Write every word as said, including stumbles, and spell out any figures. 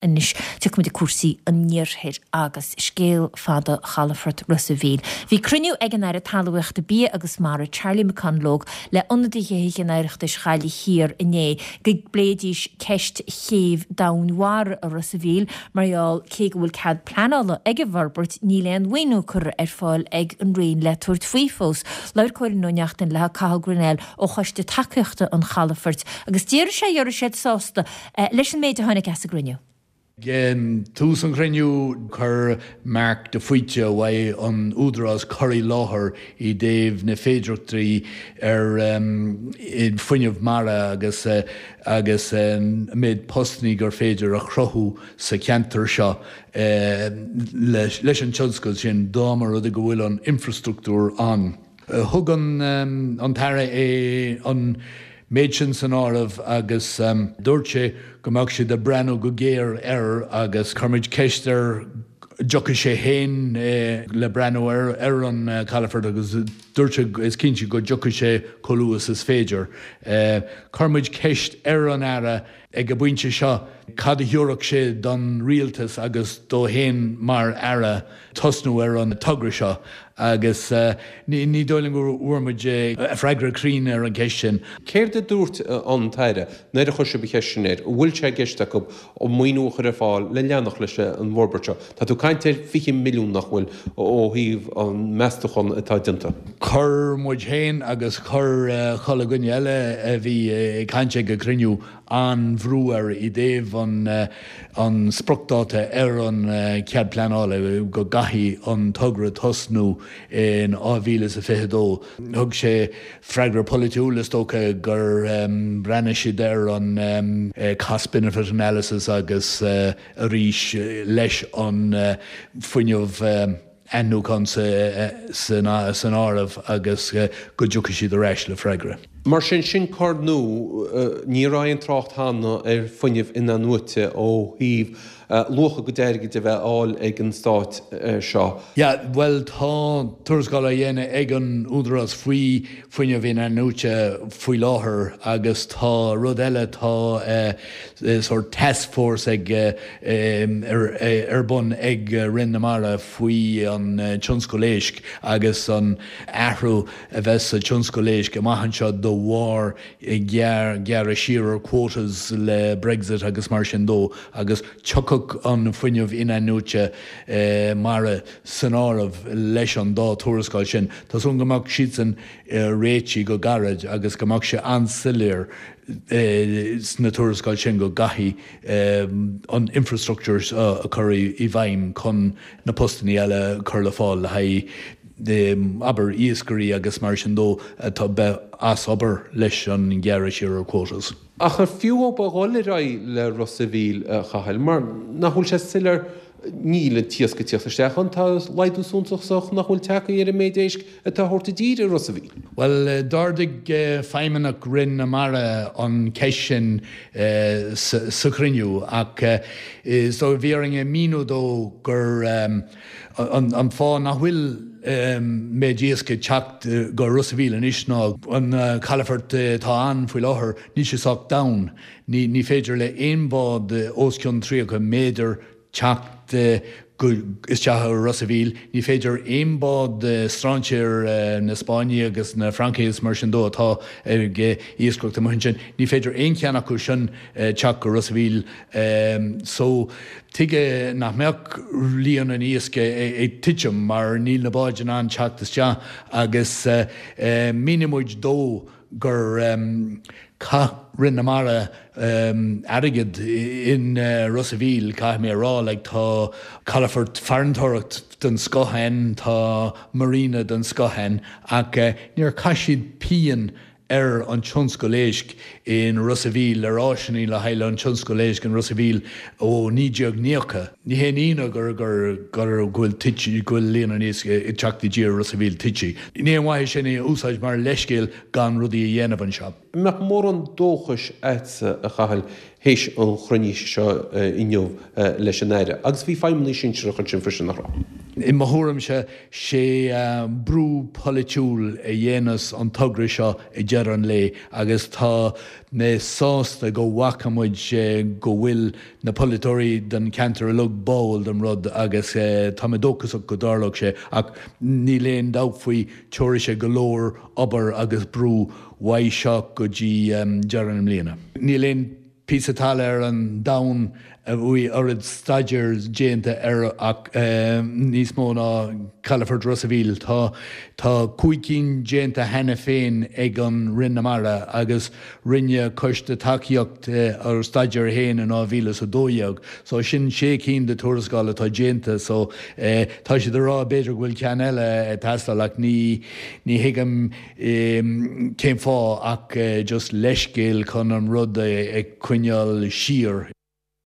Anois tiocfaimid ag cúrsaí an iarthair agus scéal fada chalafort Ros a' Mhíl. Bhí cruinniú ag an Aire Talmhaíochta Bia agus Mara Charlie McConalogue le ionadaithe Thithe an Oireachtais Ghaillimh Thiar inné go bpléidís ceist chéibh domhainmhara i Ros a' Mhíl mar gheall cé go bhfuil cead pleanála ag an bhforbairt níl aon mhaoiniú curtha ar fáil ag an Roinn le tabhairt faoi fós. Labhair Cóilín Ó Neachtain le Cathal Grennell ó Choiste Tacaíochta an Chalafoirt agus deir sé go raibh siad sásta eh, leis an méid a tháinig as an gcruinniú. Ag tús an chruinniú chuir Mark de Faoite uaidh an Údarás cur i láthair i dtaobh na féidearthachtaí ar um, fuinneamh mara agus uh, agus um, méid postanna gur féidir a chruthú sa cheantar seo uh, leis, leis an tionscal sin dá mba rud go bhfuil an infrastruchtúr ann. Uh, thug an, um, an tAire é an méid sin san áireamh agus um, dúirt sé go mbeadh siad ag breathnú go géar air agus chuir muid ceist air dtiocfadh sé féin eh, le breathnú ar ar an uh, calafort agus dúirt sé is cinnte go dtiocfadh sé chomh luath is féidir. Eh, chuir muid ceist ar an Aire ag an bpointe seo cad a thabharfadh sé don rialtas agus dó féin mar Aire tosnú ar an togra seo agus uh, ní ní dóigh liom go bhfuair muid uh, freagra cruinn ar an gceist sin. Céard a dúirt an tAire nuair a chuir sibh an cheist sin air, bhfuil sé i gceist acu an maoiniú a chur ar fáil le leanacht leis an bhforbairt seo. Tá tú ag caint ar fiche milliún nach bhfuil ó thaobh an meastachán atá déanta. Chuir muid féin agus chuir uh, chuile dhuine eile a bhí ag caint ag an gcruinniú an bhrú air i dtaobh an, uh, an spriocdháta ar an uh, cead pleanála go gcaithfidh an togra tosnú in dhá mhíle is a fiche dó. Thug sé freagra polaitiúil is dócha gur um, breathnaigh siad ar an um, cost benefit analysis agus uh, arís leis an uh, fuinneamh um, athnuachan san san áireamh agus uh, go dtiocfaidh siad ar ais le freagra. Mar sin sin cor nua ní raibh aon trácht cheana ar fuinneamh in-athnuaite ó thaobh luach a gcuid airgid a bheith á fháil ag an stát seo. Ja, well tá tuarascáil á dhéanamh ag an Údarás faoi fuinneamh in-athnuaite faoi láthair agus tá rud eile tá uh, sort task force ag uh, um, ar, ar bun ag Roinn na Mara faoi an uh, tionscal éisc agus an athrú a bheas sa tionscal éisc amach anseo de bharr gearr gearradh siar ar quotas le Brexit agus mar sin dó agus tiocfaidh an fuinneamh in-athnuaite eh, mara san áireamh leis an dá tuarascáil sin. Tá súil go mbeadh siad san eh, réitithe go gairid agus go mbeadh sé an-soiléir eh, sna tuarascáil sin go gcaithfidh eh, an infrastructures uh, a chur i bhfeidhm chun na postanna eile chur le fáil le haghaidh abair iascairí agus mar sin dó atá bheith as obair leis an ngearradh siar ar quotas. Ach ar fiú a dhul ar aghaidh le Ros a' Mhíl Chathail, mar nach bhfuil sé soiléir níl an t-iasc ag teacht isteach ann tá laghdú suntasach nach bhfuil tagtha ar an méid éisc atá á thabhairt i dtír i Ros a' Mhíl. Well d'ardaigh feidhmeannach Roinn na Mara an cheist sin uh, sa, sa chruinniú ach uh, so bhí orainn a mhíniú dó gur um, an, an fáth nach bhfuil um, méid iasc ag teacht go Ros a' Mhíl anois ná an uh, calafort atá ann faoi láthair níl sé sách domhain. Ní, ní féidir le aon bhád os cionn tríocha méadar teacht go isteach i Ros a' Mhíl, ní féidir aon bhád strainséir na Spáinne agus na Fraince is mar sin dó atá ag iascaireacht amuigh ansin. Ní féidir aon cheann acu sin teacht go Ros a' Mhíl so tuige nach mbeadh líon an iasc ag titim mar níl na báid in ann teacht isteach agus mhínigh muid dó gur um, chaith Roinn na Mara um, airgead in uh, Ros a' Mhíl caithfidh mé rá le tá calafort farantóireacht den scoth ann tá marina den scoth ann ach uh, níor chaith siad pingin ar an tionscal éisc in Ros a' Mhíl ar áiseanna le haghaidh an tionscal éisc in Ros a' Mhíl ó naoi déag nócha. Ní haon ionadh gur gur gur bhfuil go bhfuil líon an iasc ag teacht i dtír Ros a' Mhíl tite. Ní aon mhaith sin é úsáid mar leithscéal gan rudaí a dhéanamh anseo. Mbeadh mórán dóchais agatsa a Chathail théis an chruinnithe seo inniu leis an Aire, agus bhí feidhmeannaigh sinsearach ansin freisin nach raibh. I mo thuairimse sé brú polaitiúil a dhéanas an togra seo ag deireadh an lae agus tá mé sásta go bhfaca muid go bhfuil na polaiteoirí den cheantar uilig báúil don rud agus tá mé dóchasach go dtarlóidh sé ach níl aon dabht faoi tabharfaidh sé go leor obair agus brú uaidh seo go dtí deireadh na mbliana. Níl aon píosa talaimh ar an domhan a bhfuil oiread staidéir déanta air ach níos mó ná Calafort Ros a' Mhíl. Tá tá cúig cinn déanta cheana féin ag an Roinn na Mara agus rinne Coiste Tacaíocht ar staidéar féin in dhá mhíle is a dó dhéag. So sin sé cinn de tuarascáil atá déanta so tá siad ag rá b'fhéidir go bhfuil ceann eile ag teastáil ach ní ní thuigim cén fáth ach just leithscéal chun an rud a coinneáil siar.